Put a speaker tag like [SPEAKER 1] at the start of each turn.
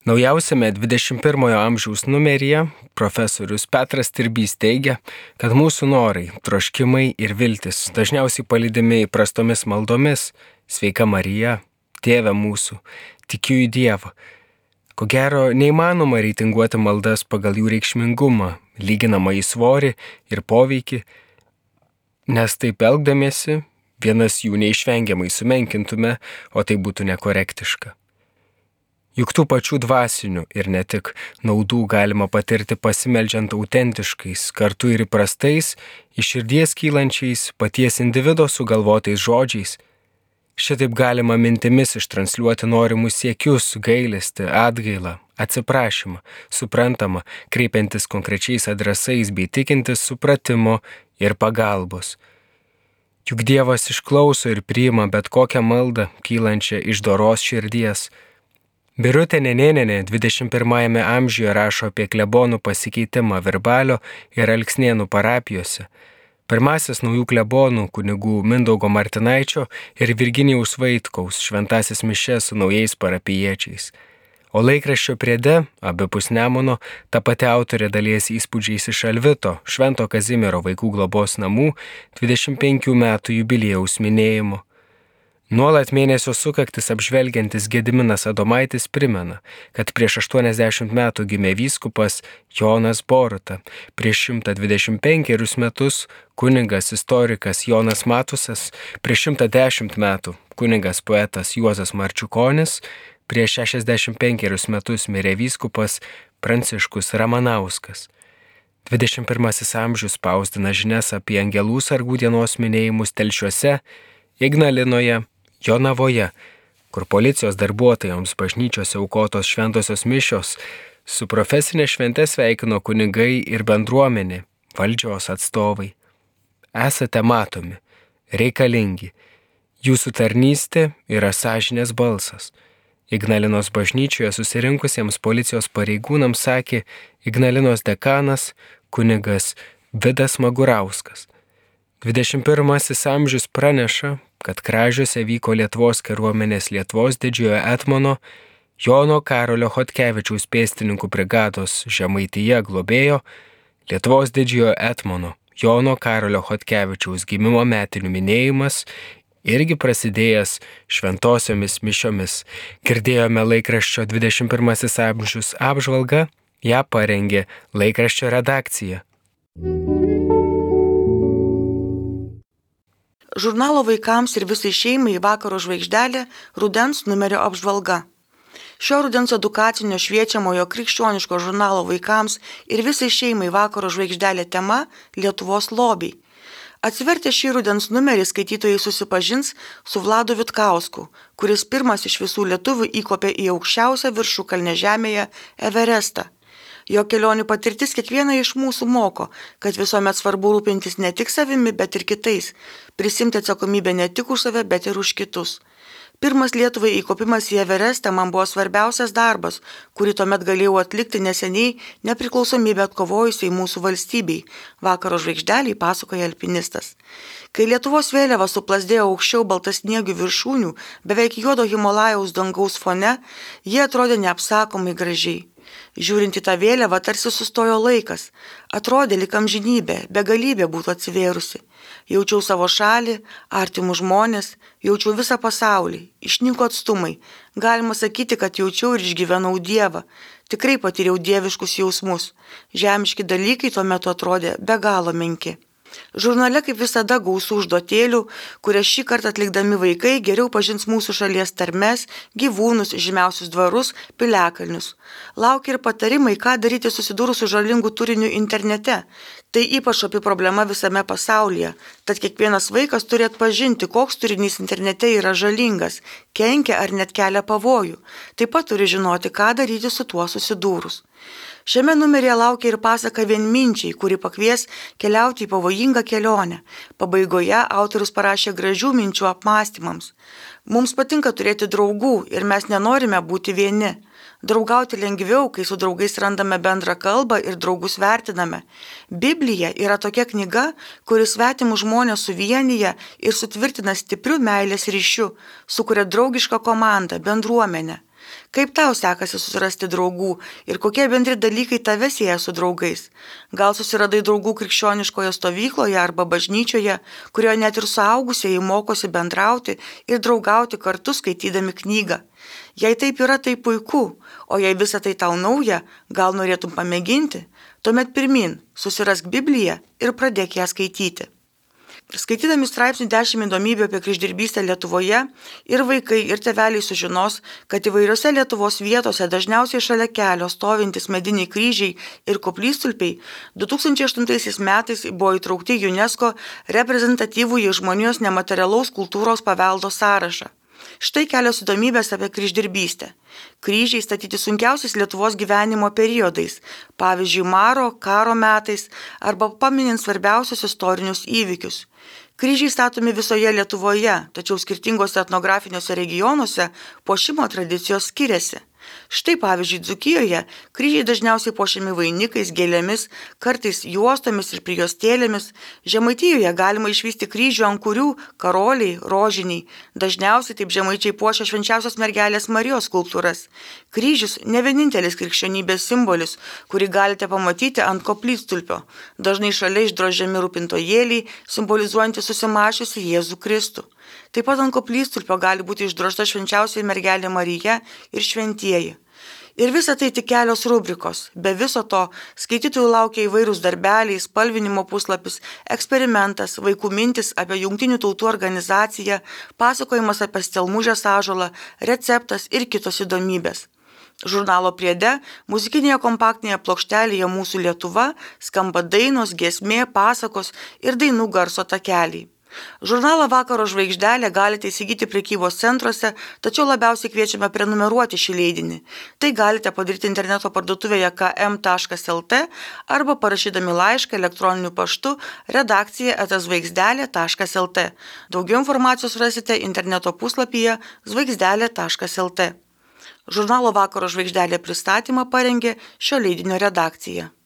[SPEAKER 1] Naujausiame 21 amžiaus numeryje profesorius Petras Tirbys teigia, kad mūsų norai, troškimai ir viltis dažniausiai palydimi įprastomis maldomis: Sveika Marija, Tėve mūsų, tikiu į Dievą. Ko gero, neįmanoma reitinguoti maldas pagal jų reikšmingumą, lyginamą į svorį ir poveikį, nes taip elgdamiesi vienas jų neišvengiamai sumenkintume, o tai būtų nekorektiška. Juk tų pačių dvasinių ir ne tik naudų galima patirti pasimeldžiant autentiškais, kartu ir įprastais, iš širdies kylančiais, paties individo sugalvotais žodžiais. Šitaip galima mintimis ištransliuoti norimus siekius, gailestį, atgailą, atsiprašymą, suprantamą, kreipiantis konkrečiais adresais bei tikintis supratimo ir pagalbos. Juk Dievas išklauso ir priima bet kokią maldą, kylančią iš doros širdies. Birutė Nenėnienė 21 amžiuje rašo apie klebonų pasikeitimą Virbalio ir Alksnėnų parapijose. Pirmasis naujų klebonų kunigų Mindaugo Martinaičio ir Virginijaus Vaitkaus šventasis mišes su naujais parapijiečiais. O laikraščio priede, abipus Nemuno, ta pati autorė dalijasi įspūdžiais iš Alvito, Švento Kazimiero vaikų globos namų 25 metų jubiliejaus minėjimo. Nuolat mėnesio sukaktis apžvelgiantis Gediminas Adomaitis primena, kad prieš 80 metų gimė vyskupas Jonas Boruta, prieš 125 metus kunigas istorikas Jonas Matusas, prieš 110 metų kunigas poetas Juozas Marčiukonis, prieš 65 metus mirė vyskupas Pranciškus Ramanauskas. 21 amžius spausdina žinias apie angelų sargų dienos minėjimus Telšiuose, Ignalinoje, Jonavoje, kur policijos darbuotojams bažnyčiose aukotos šventosios mišios su profesinė švente sveikino kunigai ir bendruomenė, valdžios atstovai. Esate matomi, reikalingi. Jūsų tarnystė yra sąžinės balsas. Ignalinos bažnyčioje susirinkusiems policijos pareigūnams sakė Ignalinos dekanas kunigas Vidas Magurauskas. 21 amžius praneša, kad Kražiuose vyko Lietuvos kariuomenės Lietuvos didžiojo etmono Jono Karolio Chodkevičiaus pėstininkų brigados Žemaitija globėjo Lietuvos didžiojo etmono Jono Karolio Chodkevičiaus gimimo metinių minėjimas, irgi prasidėjęs šventosiomis mišiomis. Girdėjome laikraščio 21 amžius apžvalgą, ją parengė laikraščio redakcija.
[SPEAKER 2] Žurnalo vaikams ir visai šeimai Vakaro žvaigždelė rudens numerio apžvalga. Šio rudens edukacinio šviečiamojo krikščioniško žurnalo vaikams ir visai šeimai Vakaro žvaigždelė tema Lietuvos lobiai. Atsivertę šį rudens numerį skaitytojai susipažins su Vladu Vitkausku, kuris pirmas iš visų lietuvių įkopė į aukščiausią viršukalnę žemėje Everestą. Jo kelionių patirtis kiekvieną iš mūsų moko, kad visuomet svarbu rūpintis ne tik savimi, bet ir kitais, prisimti atsakomybę ne tik už save, bet ir už kitus. Pirmas Lietuvai įkopimas į Everestą man buvo svarbiausias darbas, kurį tuomet galėjau atlikti neseniai nepriklausomybę atkovojusiai mūsų valstybei, Vakaro žvaigždeliai pasakoja alpinistas. Kai Lietuvos vėliava suplasdėjo aukščiau baltasniegių viršūnių, beveik juodo Himalajaus dangaus fone, jie atrodė neapsakomai gražiai. Žiūrint į tą vėliavą, tarsi sustojo laikas. Atrodė lyg amžinybė, begalybė būtų atsivėrusi. Jaučiau savo šalį, artimus žmonės, jaučiau visą pasaulį, išnyko atstumai. Galima sakyti, kad jaučiau ir išgyvenau Dievą. Tikrai patyriau dieviškus jausmus. Žemiški dalykai tuo metu atrodė be galo menki. Žurnale kaip visada gausų užduotėlių, kurias šį kartą atlikdami vaikai geriau pažins mūsų šalies tarmes, gyvūnus, žymiausius dvarus, piliakalnius. Laukia ir patarimai, ką daryti susidūrus su žalingu turiniu internete. Tai ypač opi problema visame pasaulyje, tad kiekvienas vaikas turi atpažinti, koks turinys internete yra žalingas, kenkia ar net kelia pavojų. Taip pat turi žinoti, ką daryti su tuo susidūrus. Šiame numeryje laukia ir pasaka Vienminčiai, kuri pakvies keliauti į pavojingą kelionę. Pabaigoje autorius parašė gražių minčių apmąstymams. Mums patinka turėti draugų ir mes nenorime būti vieni. Draugauti lengviau, kai su draugais randame bendrą kalbą ir draugus vertiname. Biblija yra tokia knyga, kuri svetimus žmonės suvienyje ir sutvirtina stipriu meilės ryšiu, sukuria draugišką komandą, bendruomenę. Kaip tau sekasi susirasti draugų ir kokie bendri dalykai tave sieja su draugais? Gal susiradai draugų krikščioniškoje stovykloje arba bažnyčioje, kurioje net ir suaugusieji mokosi bendrauti ir draugauti kartu skaitydami knygą? Jei taip yra, tai puiku, o jei visa tai tau nauja, gal norėtum pamėginti, tuomet pirmin, susirask Bibliją ir pradėk ją skaityti. Skaitydami straipsnį 10 įdomybių apie kryždirbystę Lietuvoje, ir vaikai, ir tėveliai sužinos, kad įvairiose Lietuvos vietose, dažniausiai šalia kelio stovintys mediniai kryžiai ir koplytstulpiai 2008 metais buvo įtraukti į UNESCO reprezentatyvųjį žmonijos nematerialaus kultūros paveldo sąrašą. Štai kelios įdomybės apie kryždirbystę. Kryžiai statyti sunkiausiais Lietuvos gyvenimo periodais, pavyzdžiui, maro, karo metais arba paminint svarbiausius istorinius įvykius. Kryžiai statomi visoje Lietuvoje, tačiau skirtingose etnografiniuose regionuose puošimo tradicijos skiriasi. Štai pavyzdžiui, Dzūkijoje kryžiai dažniausiai puošiami vainikais, gėlėmis, kartais juostomis ir prijuostėlėmis. Žemaitijoje galima išvysti kryžių, ant kurių karoliai, rožiniai. Dažniausiai taip žemaičiai puošia švenčiausios mergelės Marijos skulptūras. Kryžius ne vienintelis krikščionybės simbolis, kurį galite pamatyti ant koplytstulpio. Dažnai šalia išdrožiami rūpintojėliai, simbolizuojantys susimašiusi Jėzų Kristų. Taip pat ant koplytstulpio gali būti išdrožta švenčiausioji mergelė Marija ir šventieji. Ir visa tai tik kelios rubrikos. Be viso to skaitytojų laukia įvairūs darbeliai, spalvinimo puslapis, eksperimentas, vaikų mintis apie Jungtinių tautų organizaciją, pasakojimas apie stelmužės ąžuolą, receptas ir kitos įdomybės. Žurnalo priede, muzikinėje kompaktinėje plokštelėje Mūsų Lietuva skamba dainos, giesmė, pasakos ir dainų garso takeliai. Žurnalą Vakaro žvaigždelė galite įsigyti prekybos centruose, tačiau labiausiai kviečiame prenumeruoti šį leidinį. Tai galite padaryti interneto parduotuvėje km.lt arba parašydami laišką elektroniniu paštu redakcija@žvaigždelė.lt. Daugiau informacijos rasite interneto puslapyje žvaigždelė.lt. Žurnalo Vakaro žvaigždelė pristatymą parengė šio leidinio redakcija.